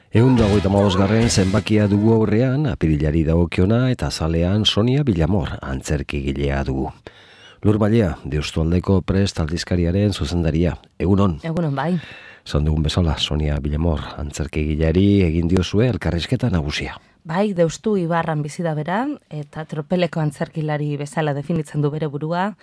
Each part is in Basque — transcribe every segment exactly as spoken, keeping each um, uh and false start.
Ehun da hogeita hamabosgarren zenbakia dugu aurrean, apirilari dagokiona eta zalean Sonia Villamor antzerkigilea dugu. Lur Mailea, Deustualdeko Prest aldizkariaren zuzendaria. Egunon. Egunon bai. Zan dugun bezala, Sonia Villamor antzerkigileari egin diozue elkarrizketa nagusia. Bai, Deustu Ibarran bizi da bera, eta tropeleko antzerkilari bezala definitzen du bere burua.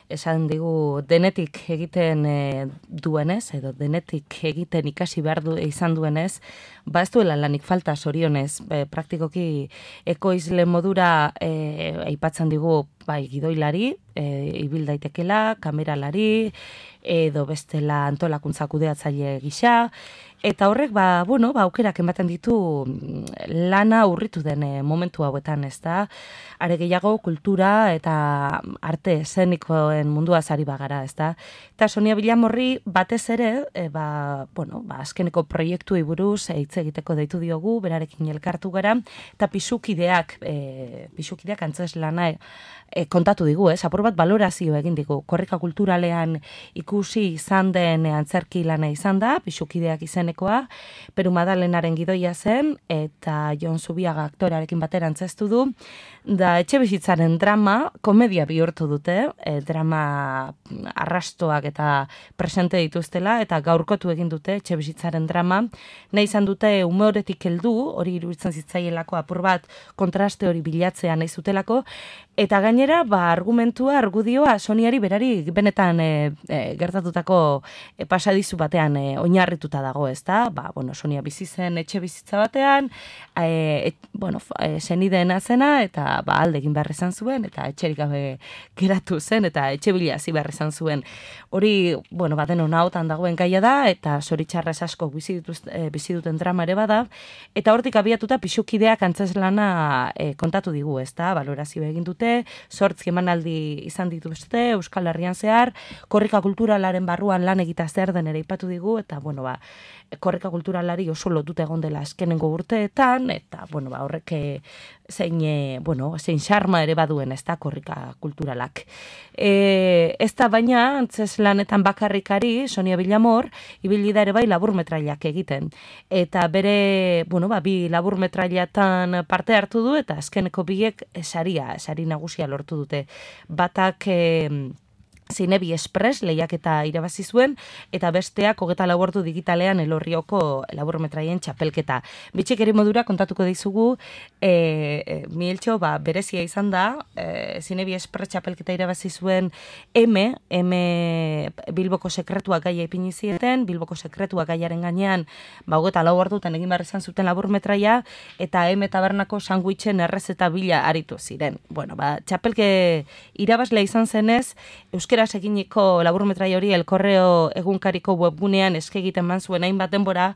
Esan digu denetik egiten e, duenez, edo denetik egiten ikasi behar du, izan duenez, ba ez duela lanik falta zorionez, e, praktikoki ekoizle modura e, aipatzen digu bai gidoilari, e, ibil daitekela, kameralari, edo bestela antolakuntza kudeatzaile gisa, eta horrek, ba, bueno, ba, aukerak ematen ditu lana urritu den e, momentu hauetan, ez da? Are gehiago kultura eta arte eszenikoen mundua zari bagara, ez da? Eta Sonia Villamorri batez ere, e, ba, bueno, ba, azkeneko proiektu buruz e, hitz egiteko deitu diogu, berarekin elkartu gara, eta pisukideak, e, pisukideak antzes lana e, e, kontatu digu, ez? Apur bat balorazio egin digu. Korrika kulturalean ikusi izan den antzerki lana izan da, pisukideak izenekoa, Peru Madalenaren gidoia zen, eta Jon Zubiaga aktorearekin batera antzeztu du, da etxe bizitzaren drama, komedia bihurtu dute, e, drama arrastoak eta presente dituztela, eta gaurkotu egin dute etxe bizitzaren drama, nahi izan dute umoretik heldu, hori iruditzen zitzaielako apur bat kontraste hori bilatzea nahi zutelako, eta gainera, ba, argumentua, argudioa, Soniari berari benetan e, e, gertatutako e, pasadizu batean e, oinarrituta dago, ez da? Ba, bueno, Sonia bizi zen etxe bizitza batean, e, et, bueno, e, senideen azena, eta ba, alde egin behar izan zuen, eta etxerik gabe geratu zen, eta etxe bila hasi behar izan zuen. Hori, bueno, baten hona hotan dagoen gaia da, eta zoritxarrez asko bizi, dituz, e, bizi duten drama ere bada, eta hortik abiatuta pisukideak antzeslana e, kontatu digu, ez da? Balorazio egin dute, zortzi emanaldi izan dituzte, Euskal Herrian zehar, korrika kulturalaren barruan lan egita zer den ere ipatu digu, eta, bueno, ba, korrika kulturalari oso lotuta egon dela azkenengo urteetan, eta, bueno, ba, horrek zein, e, bueno, zein xarma ere baduen, ez da, korrika kulturalak. E, ez da, baina, antzes lanetan bakarrikari, Sonia Villamor, ibili da ere bai laburmetrailak egiten. Eta bere, bueno, ba, bi laburmetrailatan parte hartu du, eta azkeneko biek saria, sari nagusia lortu dute. Batak e, Zinebi Express lehiaketa irabazi zuen, eta besteak hogeta lau ordu digitalean Elorrioko laburmetraien txapelketa. Bitxikeri modura kontatuko dizugu, e, e, Mieltxo, ba, berezia izan da, e, Zinebi Express txapelketa irabazi zuen M, M Bilboko sekretuak gaia ipini zieten, Bilboko sekretuak gaiaren gainean, ba, hogeta lau ordutan egin behar izan zuten laburmetraia, eta M tabernako sanguitxen errezeta bila aritu ziren. Bueno, ba, txapelke irabazlea izan zenez, Euskal Euskeraz eginiko laburmetraia hori El Correo egunkariko webgunean eske egiten man zuen hainbat denbora,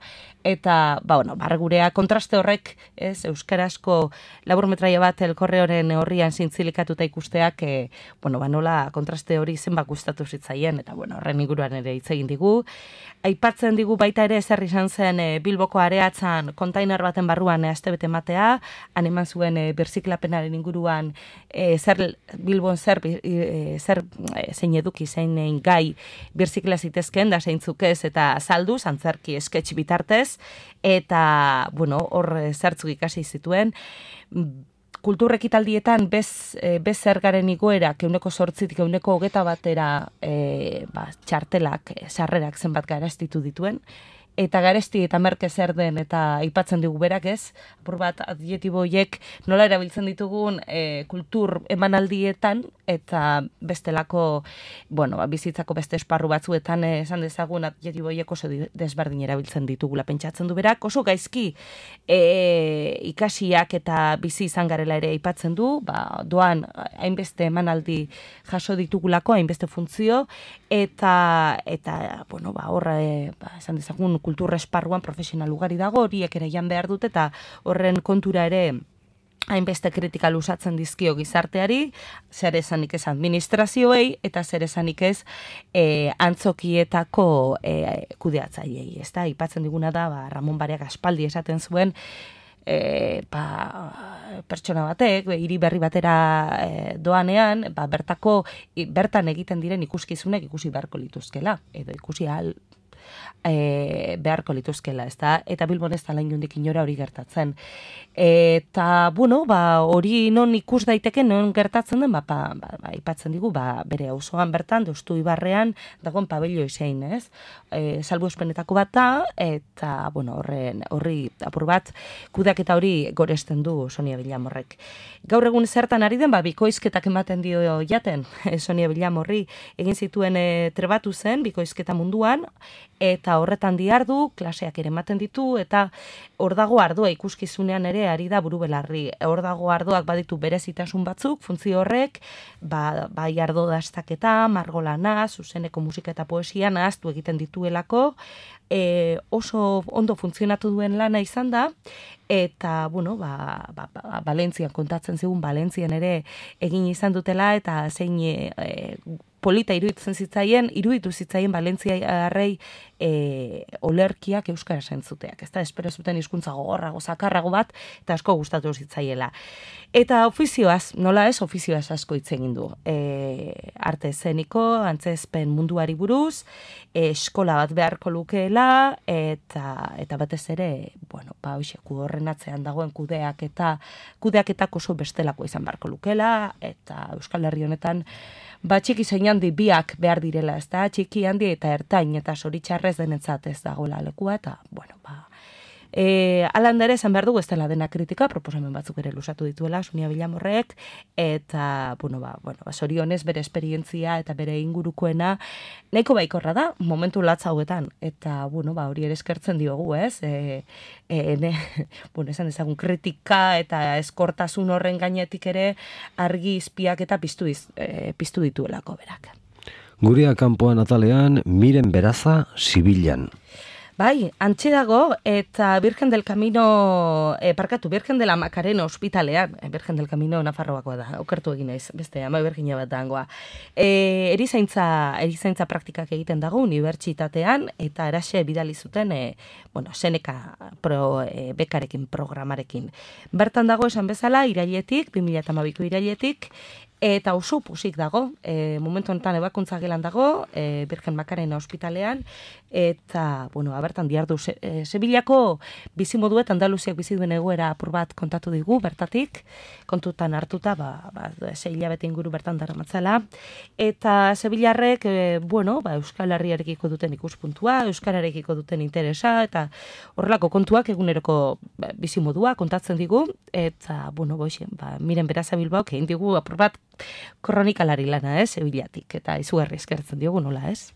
eta, ba, bueno, bargurea kontraste horrek, ez, euskarazko laburmetraia bat El Correoren horrian zintzilikatuta ikusteak, e, bueno, ba, nola kontraste hori zenbat gustatu zitzaien, eta, bueno, horren inguruan ere hitz egin digu. Aipatzen digu baita ere zer izan zen e, Bilboko areatzan kontainar baten barruan e, astebete matea, han eman zuen e, birziklapenaren inguruan e, zer Bilbon zer, e, zer e, zein eduki, zein gai birzikla zitezken, da zeintzuk ez, eta saldu, antzerki sketch bitartez, eta, bueno, hor zertzuk ikasi zituen. Kulturrekitaldietan bez, bez zergaren igoerak euneko sortzitik euneko hogeta batera e, ba, txartelak, sarrerak zenbat garaztitu dituen, eta garesti eta merke zer den, eta aipatzen digu berak ez, apur bat adjetibo horiek nola erabiltzen ditugun e, kultur emanaldietan, eta bestelako, bueno, bizitzako beste esparru batzuetan e, esan dezagun adjetibo horiek oso desberdin erabiltzen ditugula pentsatzen du berak, oso gaizki e, ikasiak eta bizi izan garela ere aipatzen du, ba, doan hainbeste emanaldi jaso ditugulako, hainbeste funtzio, eta, eta bueno, ba, horra, e, ba, esan dezagun kultur esparruan profesional ugari dago, horiek ere jan behar dute, eta horren kontura ere hainbeste kritika luzatzen dizkio gizarteari, zer esanik ez administrazioei, eta zer esanik ez e, antzokietako e, kudeatzaileei. Ez da, ipatzen diguna da, ba, Ramon Bareak aspaldi esaten zuen, e, ba, pertsona batek, hiri berri batera e, doanean, ba, bertako, bertan egiten diren ikuskizunek ikusi beharko lituzkela, edo ikusi ahal e, beharko lituzkela, ezta? Eta Bilbon ez da lain jundik inora hori gertatzen. Eta, bueno, ba, hori non ikus daiteke, non gertatzen den, ba, ba, ba, ipatzen digu, ba, bere auzoan bertan, Deustu Ibarrean, dagoen pabello izein, ez? E, salbuespenetako bat da, eta, bueno, horren, horri apur bat, kudeaketa hori goresten du Sonia Villamorrek. Gaur egun zertan ari den, ba, bikoizketak ematen dio jaten, Sonia Villamorri egin zituen e, trebatu zen, bikoizketa munduan, eta horretan diardu, klaseak ere ematen ditu, eta hor dago ardua ikuskizunean ere ari da buru belarri. Hor dago ardoak baditu berezitasun batzuk, funtzio horrek, ba, bai ardo dastaketa, margolana, zuzeneko musika eta poesia nahaztu egiten dituelako, e, oso ondo funtzionatu duen lana izan da, eta, bueno, ba, ba, ba, Valentzian kontatzen zigun, Valentzian ere egin izan dutela, eta zein e, e, polita iruditzen zitzaien, iruditu zitzaien Valentziarrei e, olerkiak euskara sentzuteak. Ez da, espero zuten hizkuntza gogorrago, zakarrago bat, eta asko gustatu zitzaiela. Eta ofizioaz, nola ez, ofizioaz asko hitz egin du. E, arte eszeniko, antzezpen munduari buruz, e, eskola bat beharko lukeela, eta eta batez ere, bueno, ba, hoxe, horren atzean dagoen kudeak eta kudeaketak oso bestelako izan beharko lukeela, eta Euskal Herri honetan ba, txiki zein handi biak behar direla, ez da, txiki handi eta ertain, eta zoritxarrez denetzat ez dagoela lekua, eta, bueno, ba, e, alan ere esan behar dugu ez dela dena kritika, proposamen batzuk ere lusatu dituela, Sonia Villamorrek, eta, bueno, ba, bueno, ba, zorionez bere esperientzia eta bere ingurukoena, nahiko baikorra da, momentu latza hauetan, eta, bueno, ba, hori ere eskertzen diogu, ez, e, e, ne, bueno, esan ezagun kritika eta eskortasun horren gainetik ere argi izpiak eta piztu, iz, e, piztu dituelako berak. Gurea kanpoan atalean, Miren Beraza, Sibilan. Bai, antxe dago, eta Virgen del Camino, e, parkatu, Virgen de la Macarena ospitalean, e, Virgen del Camino Nafarroakoa da, okertu egin naiz, beste, ama Virginia bat dangoa. E, erizaintza, erizaintza praktikak egiten dago unibertsitatean, eta eraxe bidali zuten, e, bueno, Seneca pro, e, bekarekin, programarekin. Bertan dago esan bezala, irailetik, bi mila hamabiko irailetik, eta oso pusik dago, e, momentu honetan ebakuntza gelan dago, e, Virgen Macarena ospitalean, eta, bueno, abertan diardu, e, Sevillako bizimoduet Andaluziak bizi duen egoera apur bat kontatu digu, bertatik, kontutan hartuta, ba, ba, sei hilabete inguru bertan daramatzala, eta Sevillarrek, e, bueno, ba, Euskal Herriarekiko duten ikuspuntua, Euskararekiko duten interesa, eta horrelako kontuak eguneroko ba, bizimodua kontatzen digu, eta, bueno, boixen, ba, Miren Beraza Bilbaok egin digu apur bat kronikalari lana, ez, Sevillatik, eta izugarri eskertzen diogu nola, ez?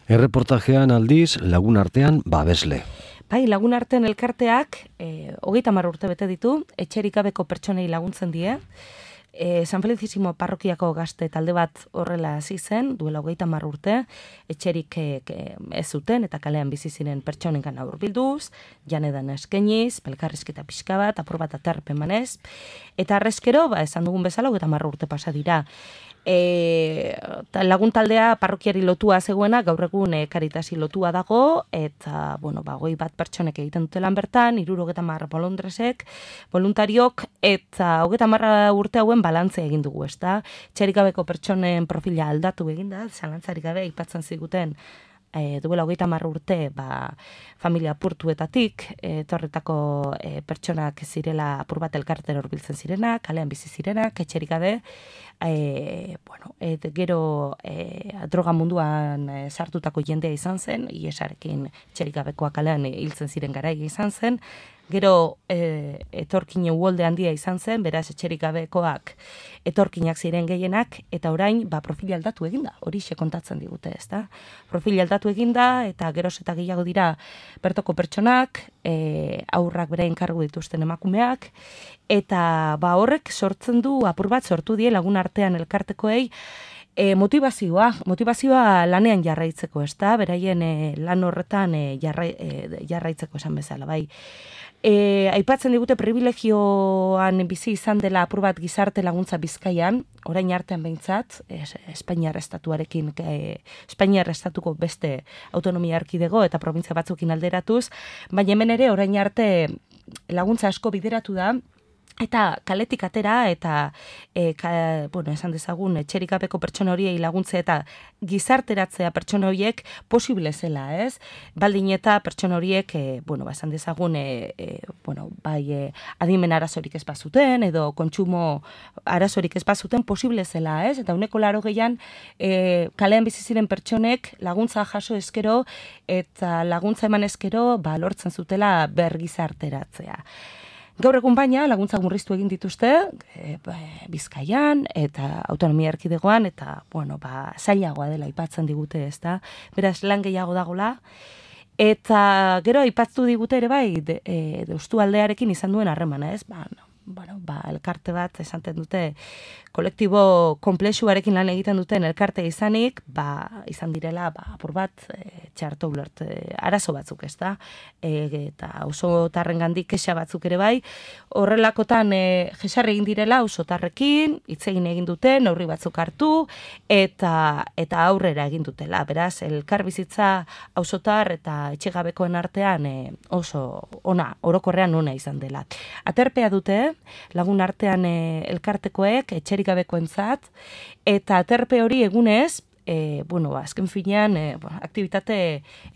Erreportajean aldiz, Lagun Artean babesle. Bai, Lagun Artean elkarteak, e, hogeita hamar urte bete ditu, etxerik gabeko pertsonei laguntzen die, e, San Felicísimo parrokiako gazte talde bat horrela hasi zen, duela hogeita hamar urte, etxerik e, ez zuten, eta kalean bizi ziren pertsonengan hurbilduz, janedan eskeniz, pelkarrizketa pixka bat, apur bat aterpen manez, eta arrezkero, ba, esan dugun bezala, hogeita hamar urte pasa dira. E, lagun taldea parrokiari lotua zegoena, gaur egun e, Karitasi lotua dago, eta, bueno, ba, goi bat pertsonek egiten dute lan bertan, iruro hogeta marra bolondresek, voluntariok, eta hogeta marra urte hauen balantzea egin dugu, ez da? Txerikabeko pertsonen profila aldatu egin da, zalantzarik gabe, ipatzen ziguten, E, duela hogeita hamar urte ba, familia apurtuetatik etorretako e, pertsonak zirela apur bat elkartera hurbiltzen zirenak, kalean bizi zirenak, etxerik gabe, e, bueno, et, gero e, droga munduan e, sartutako jendea izan zen, iesarekin etxerik gabekoa kalean e, hiltzen ziren garai izan zen, gero e, etorkine uholde handia izan zen, beraz etxerik gabekoak etorkinak ziren gehienak, eta orain ba, profili aldatu eginda, hori kontatzen digute, ez da? Profili aldatu eginda, eta geroz eta gehiago dira bertoko pertsonak, e, aurrak bere enkargu dituzten emakumeak, eta ba, horrek sortzen du, apur bat sortu die Lagun Artean elkartekoei, E, motivazioa, motivazioa lanean jarraitzeko, ez da? Beraien e, lan horretan e, jarrai, e, jarraitzeko esan bezala, bai. E, aipatzen digute privilegioan bizi izan dela apur bat gizarte laguntza Bizkaian, orain artean behintzat, es, Espainiar estatuarekin, e, Espainiar estatuko beste autonomia erkidego eta provintzia batzukin alderatuz, baina hemen ere orain arte laguntza asko bideratu da, Eta kaletik atera eta e, ka, bueno, esan dezagun etxerik gabeko pertsona horiei laguntze eta gizarteratzea pertsona horiek posible zela, ez? Baldin eta pertsona horiek, e, bueno, ba, esan dezagun, e, e, bueno, bai e, adimen arazorik ez bazuten edo kontsumo arazorik ez bazuten posible zela, ez? Eta uneko laro gehian e, kalean bizi ziren pertsonek laguntza jaso eskero eta laguntza eman eskero ba, lortzen zutela bergizarteratzea. Gaur egun baina laguntza murriztu egin dituzte e, Bizkaian eta autonomia erkidegoan eta bueno, ba, zailagoa dela aipatzen digute, ezta? Beraz lan gehiago dagola. Eta gero aipatu digute ere bai de, e, Deustu aldearekin izan duen harremana, ez? Ba, no. Bueno, ba, elkarte bat esaten dute kolektibo konplexuarekin lan egiten duten elkarte izanik, ba, izan direla ba, apur bat e, txarto ulert e, arazo batzuk, ez da? E, eta auzotarren gandik kexa batzuk ere bai, horrelakotan e, jesarri egin direla auzotarrekin, hitz egin egin dute, neurri batzuk hartu, eta eta aurrera egin dutela. Beraz, elkar bizitza auzotar eta etxegabekoen artean e, oso ona, orokorrean ona izan dela. Aterpea dute, lagun artean e, elkartekoek, etxerik gabekoentzat, eta aterpe hori egunez, e, bueno, azken finean, e, aktivitate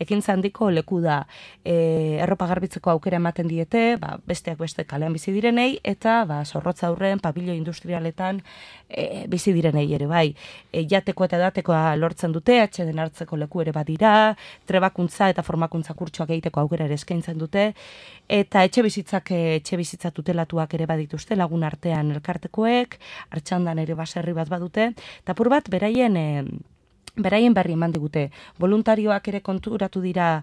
ekintza handiko leku da. E, erropa garbitzeko aukera ematen diete, ba, besteak beste kalean bizi direnei, eta ba, zorrotza aurren, pabilo industrialetan e, bizi direnei ere bai. E, jateko eta edatekoa lortzen dute, atxeden hartzeko leku ere badira, trebakuntza eta formakuntza kurtsoak egiteko aukera ere eskaintzen dute, eta etxe bizitzak, etxe bizitza tutelatuak ere badituzte lagun artean elkartekoek, Artxandan ere baserri bat badute, eta apur bat beraien e, beraien berri eman digute. Voluntarioak ere konturatu dira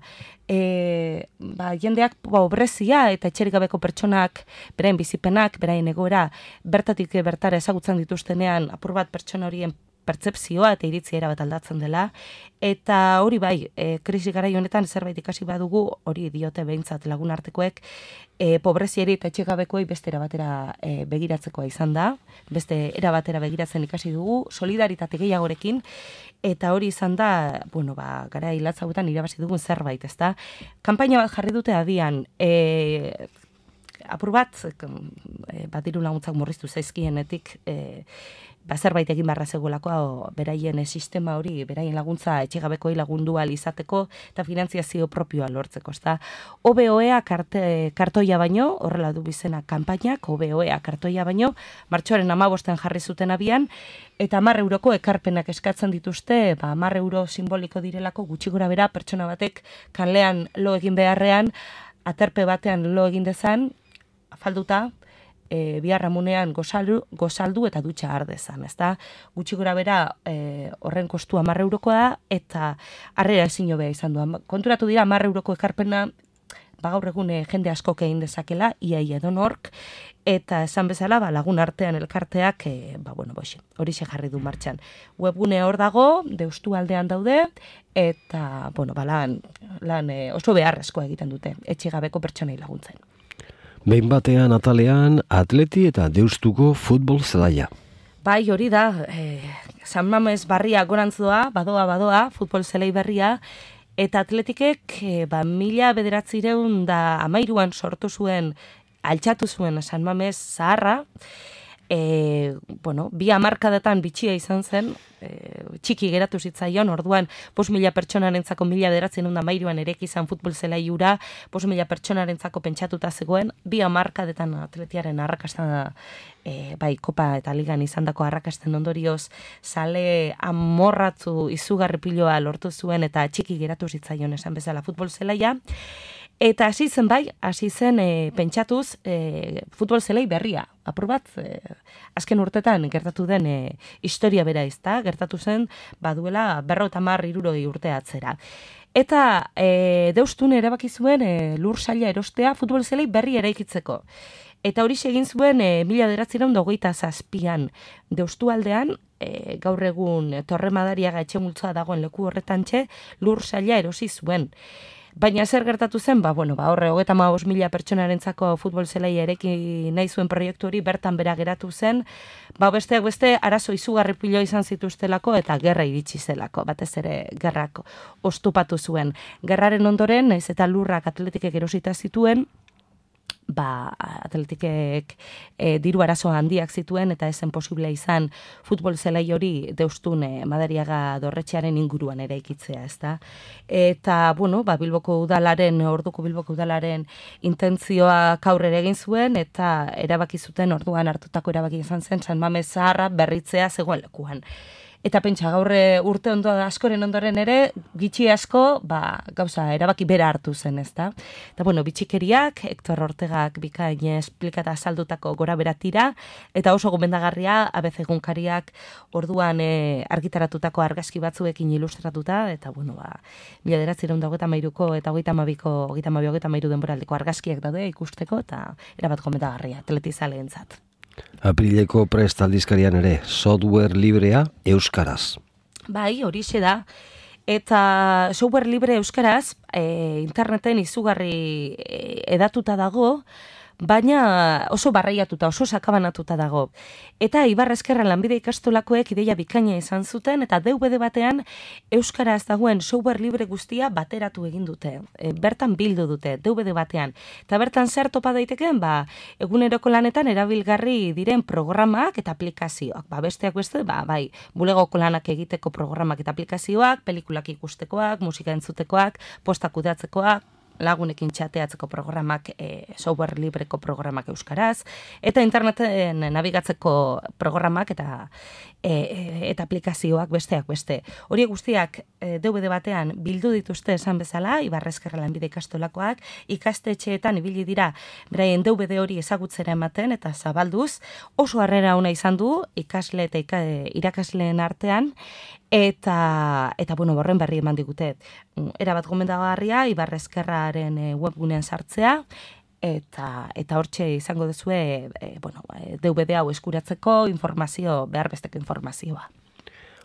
e, ba, jendeak pobrezia eta etxerik gabeko pertsonak, beraien bizipenak, beraien egoera, bertatik bertara ezagutzen dituztenean, apur bat pertsona horien pertzepzioa eta iritzia erabat aldatzen dela, eta hori bai, e, krisi garai honetan zerbait ikasi badugu, hori diote behintzat lagun artekoek, e, pobreziari eta etxegabekoei beste erabatera e, begiratzekoa izan da, beste erabatera begiratzen ikasi dugu, solidaritate gehiagorekin, eta hori izan da, bueno, ba, gara hilatzauetan irabazi dugun zerbait, ezta? Kanpaina bat jarri dute abian, e, apur bat, e, bat diru laguntzak murriztu zaizkienetik, e, ba, zerbait egin barra zegoelako beraien sistema hori, beraien laguntza etxegabekoei lagundu ahal izateko eta finantziazio propioa lortzeko, ezta? O B O E-a karte, kartoia baino, horrela du bizena kanpainak, O B O E-a kartoia baino, martxoaren hamabostean jarri zuten abian, eta hamar euroko ekarpenak eskatzen dituzte, ba, hamar euro simboliko direlako gutxi gora bera pertsona batek kanlean lo egin beharrean, aterpe batean lo egin dezan, afalduta, E, biharramunean gozaldu, gozaldu eta dutxa ardezan, ezta? Gutxi gora bera e, horren kostu hamar eurokoa da, eta harrera ezin hobea izan du. Konturatu dira hamar euroko ekarpena, ba gaur egun e, jende askok egin dezakela, iaia edonork, eta esan bezala ba, lagun artean elkarteak, e, ba bueno, boxe, horixe jarri du martxan. Webgune hor dago, Deustu aldean daude, eta bueno, ba, lan, lan e, oso beharrezkoa egiten dute, etxegabeko pertsonei laguntzen. Behin batean atalean Atleti eta Deustuko futbol zelaia. Bai, hori da, e, San Mames barria gorantzoa, badoa, badoa, futbol zelai berria, eta Atletikek e, ba, mila bederatzireun da amairuan sortu zuen, altxatu zuen San Mames zaharra, E, bueno, bi hamarkadetan bitxia izan zen, e, txiki geratu zitzaion, orduan bost mila pertsonarentzako mila bederatziehun eta hamairuan ereki izan futbol zelai hura, bost mila pertsonarentzako pentsatuta zegoen, bi hamarkadetan Atletiaren arrakasta e, bai, kopa eta ligan izandako arrakasten ondorioz sale amorratzu izugarri piloa lortu zuen eta txiki geratu zitzaion esan bezala futbol zelaia. Eta hasi zen bai, hasi zen e, pentsatuz e, futbol zelai berria. Apur bat, e, azken urtetan gertatu den e, historia bera izta, gertatu zen baduela berrota hamar hirurogei urte atzera. Eta e, Deustun erabaki zuen e, lur saila erostea futbol zelai berri eraikitzeko. Eta hori egin zuen e, mila bederatziehun eta hogeita zazpian Deustu aldean, e, gaur egun Torre Madariaga etxe multzoa dagoen leku horretantxe, lur saila erosi zuen. Baina zer gertatu zen, ba, bueno, ba, horre, hogeita hamabost mila pertsonarentzako futbol zelaia ereki nahi zuen proiektu hori bertan bera geratu zen, ba, besteak beste arazo izugarri pilo izan zituztelako eta gerra iritsi zelako, batez ere gerrak ostupatu zuen. Gerraren ondoren, naiz eta lurrak Atletikek erosita zituen, ba, Atletikek e, diru arazo handiak zituen eta esen posible izan futbol zelai hori Deustun e, Madariaga dorretxearen inguruan ere ikitzea, ezta? Eta, bueno, ba, Bilboko udalaren, orduko Bilboko udalaren intentzioa aurrera egin zuen eta erabaki zuten orduan hartutako erabaki izan zen San Mames zaharra berritzea zegoen lekuan. Eta pentsa, gaur urte ondo askoren ondoren ere, gitxi asko, ba, gauza, erabaki bera hartu zen, ezta? Eta, bueno, bitxikeriak, Hector Ortegak bikain esplikata azaldutako gora beratira, eta oso gomendagarria, A B C egunkariak orduan e, argitaratutako argazki batzuekin ilustratuta, eta, bueno, ba, mila bederatziehun eta hogeita hamairuko eta hogeita hamabiko, hogeita hamabi, hogeita hamairu denboraldiko argazkiak daude ikusteko, eta erabat gomendagarria, atletizaleentzat. Aprileko Prest aldizkarian ere, software librea euskaraz. Bai, horixe da. Eta software libre euskaraz, e, interneten izugarri e, edatuta dago, baina oso barreiatuta, oso sakabanatuta dago. Eta Ibar Ezkerra lanbide ikastolakoek ideia bikaina izan zuten, eta D V D batean euskaraz dagoen software libre guztia bateratu egin dute. E, bertan bildu dute, D V D batean. Eta bertan zer topa daitekeen, ba, eguneroko lanetan erabilgarri diren programak eta aplikazioak. Ba, besteak beste, ba, bai, bulegoko lanak egiteko programak eta aplikazioak, pelikulak ikustekoak, musika entzutekoak, postak kudeatzekoak, lagunekin txateatzeko programak, e, software libreko programak euskaraz, eta interneten nabigatzeko programak eta e, eta aplikazioak besteak beste. Hori guztiak e, D V D batean bildu dituzte esan bezala, Ibar Ezkerra lanbide ikastolakoak, ikastetxeetan ibili dira beraien D V D hori ezagutzera ematen eta zabalduz, oso harrera ona izan du ikasle eta ika, irakasleen artean, Eta, eta bueno, borren berri eman digute. Erabat gomendagarria, Ibar Ezkerraren webgunean sartzea, eta eta hortxe izango duzue, e, bueno, D V D hau eskuratzeko informazio, behar besteko informazioa.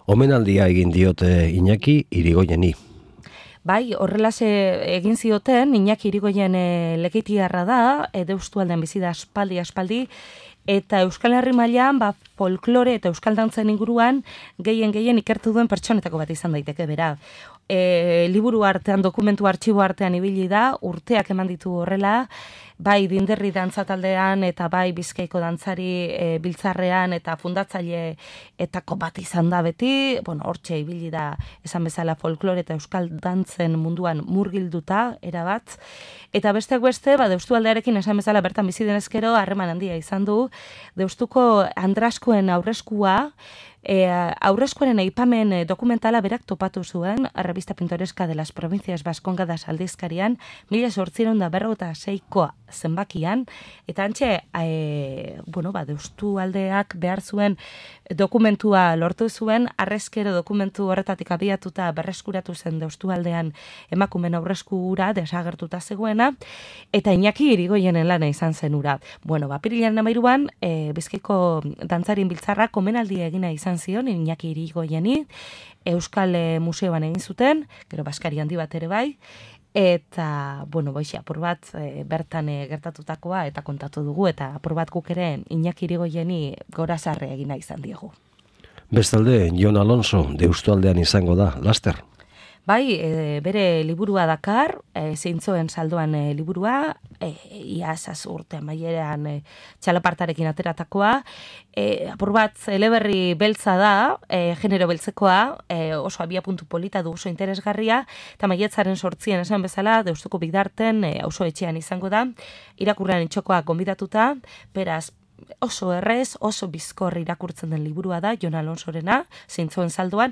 Omenaldia egin diote Iñaki Irigoyeni. Bai, horrelase egin zioten, Iñaki Irigoyen e, lekeitiarra da, e, Deustualdean bizi da aspaldi aspaldi, eta Euskal Herri mailan ba, folklore eta euskal dantzen inguruan gehien gehien ikertu duen pertsonetako bat izan daiteke bera. E, liburu artean, dokumentu artxibo artean ibili da, urteak eman ditu horrela, bai Dinderri dantza taldean eta bai Bizkaiko dantzari e, biltzarrean eta fundatzaile etako bat izan da beti, bueno, hortxe ibili da esan bezala folklore eta euskal dantzen munduan murgilduta erabat, eta besteak beste, ba, Deustualdearekin esan bezala bertan bizi denezkero harreman handia izan du, Deustuko Andraskoen aurreskua, E, aurrezkoaren aipamen e, dokumentala berak topatu zuen, Revista Pintoreska de las Provincias Vascongadas aldizkarian, mila zortziehun eta berrogeita seikoa zenbakian, eta antxe, e, bueno, ba, Deustualdeak behar zuen dokumentua lortu zuen, arrezkero dokumentu horretatik abiatuta berreskuratu zen Deustualdean emakumen aurreskura desagertuta zegoena, eta Iñaki Irigoyenen lana izan zen ura. Bueno, ba, pirilaren amairuan, e, Bizkaiko dantzarien biltzarra komenaldia egina izan zion, Iñaki Irigoyeni, Euskal Museoan egin zuten, gero Baskari handi bat ere bai, eta, bueno, boixe, apur bat e, bertan e, gertatutakoa eta kontatu dugu, eta apur bat guk ere Iñaki Irigoyeni gorazarre egina izan diegu. Bestalde, Jon Alonso, Deustualdean izango da, laster. Bai, e, bere liburua dakar, e, zeintzoen saldoan e, liburua, e, iazaz urte amaieran e, txalapartarekin ateratakoa, e, apur bat eleberri beltza da, e, genero beltzekoa, e, oso abia puntu polita du oso interesgarria, eta maietzaren sortzien esan bezala, Deustuko Bidarten, e, auzo etxean izango da, irakurrean itxokoa gonbidatuta, beraz, oso errez, oso bizkor irakurtzen den liburua da, Jon Alonsorena, zeintzoen saldoan,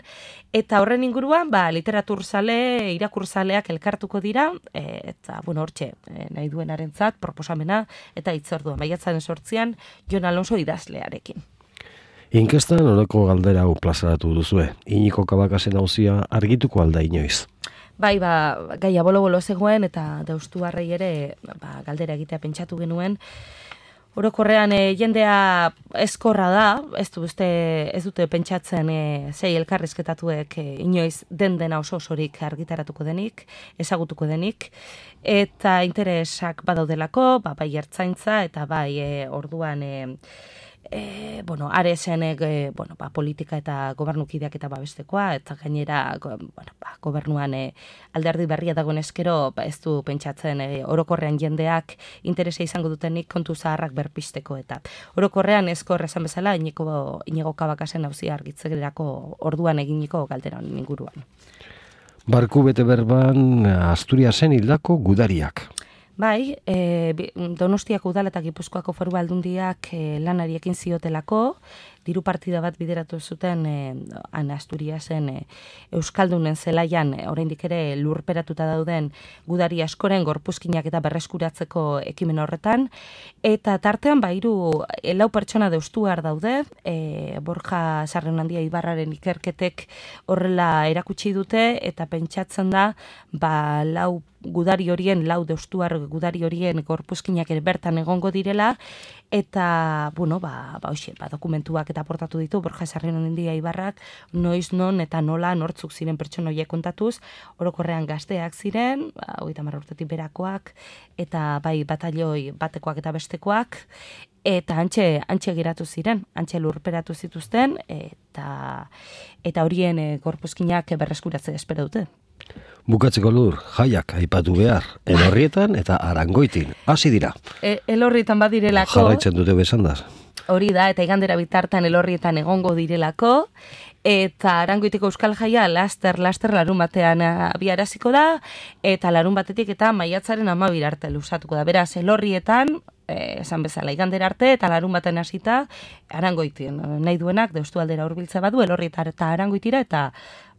eta horren inguruan, ba, literaturzale, irakurzaleak elkartuko dira, e, eta, bueno, hortxe, e, nahi duenarentzat, proposamena, eta itzordua, maiatzaren sortzian, Jon Alonso idazlearekin. Inkestan horreko galdera hau plazaratu duzue, Iñiko Kabakasen auzia argituko alda inoiz. Bai, ba, gaia bolo-bolo zegoen, eta Deustuarrei ere, ba, galdera egitea pentsatu genuen, orokorrean e, jendea eskorra da, ez, du, uste, ez dute pentsatzen e, sei elkarrizketatuek e, inoiz den dena oso osorik argitaratuko denik, ezagutuko denik, eta interesak badaudelako, ba, bai ertzaintza eta bai e, orduan e, E, bueno, aresen e, bueno, ba, politika eta gobernukideak eta babestekoa, eta gainera go, bueno, ba, gobernuan e, alderdi berria dagoen eskero, ba, ez du pentsatzen e, orokorrean jendeak interesa izango dutenik kontu zaharrak berpisteko, eta orokorrean ezkor esan bezala Inigo, Inigo Cabacas-en auzia argitzegerako orduan eginiko galdera honen inguruan. Barku bete berban Asturiasen hildako gudariak. Bai, e, Donostiako udala eta Gipuzkoako Foru Aldundiak e, lanari ekin ziotelako, diru partida bat bideratu zuten e, han Asturiasen e, Euskaldunen zelaian e, oraindik ere lurperatuta dauden gudari askoren gorpuzkinak eta berreskuratzeko ekimen horretan, eta tartean ba hiru e, lau pertsona deustuar daude, e, Borja Sarreunandia Ibarraren ikerketek horrela erakutsi dute, eta pentsatzen da ba lau gudari horien, lau deustuar gudari horien gorpuzkinak ere bertan egongo direla, eta, bueno, ba, ba, oixe, ba, dokumentuak eta aportatu ditu, Borja Sarreunandia Ibarrak, noiz non eta nola nortzuk ziren pertsona horiek kontatuz, orokorrean gazteak ziren, ba, hogeita hamar urtetik berakoak, eta bai batalioi batekoak eta bestekoak, eta antxe, antxe geratu ziren, antxe lurperatu zituzten, eta, eta horien e, gorpuzkinak berreskuratzea espero dute. Bukatzeko Lur, jaiak aipatu behar, Elorrietan eta Arangoitin, hasi dira. E, elorrietan badirelako. Jarraitzen dute besandaz. Hori da, eta igandera bitartan Elorrietan egongo direlako, eta Arangoitiko Euskal Jaia laster, laster larun batean abiaraziko da, eta larun batetik eta maiatzaren amabira arte luzatuko da. Beraz, Elorrietan, eh, esan bezala, igandera arte, eta larun baten hasita Arangoitin. Nahi duenak, deustu aldera hurbiltza badu, Elorrietan eta Arangoitira, eta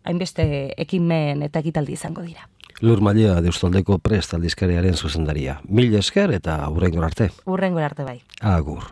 hainbeste ekimen eta ekitaldi izango dira. Lur Mallea, Deustaldeko Prest aldizkariaren zuzendaria. Mil esker eta hurrengor arte. Hurrengor arte bai. Agur.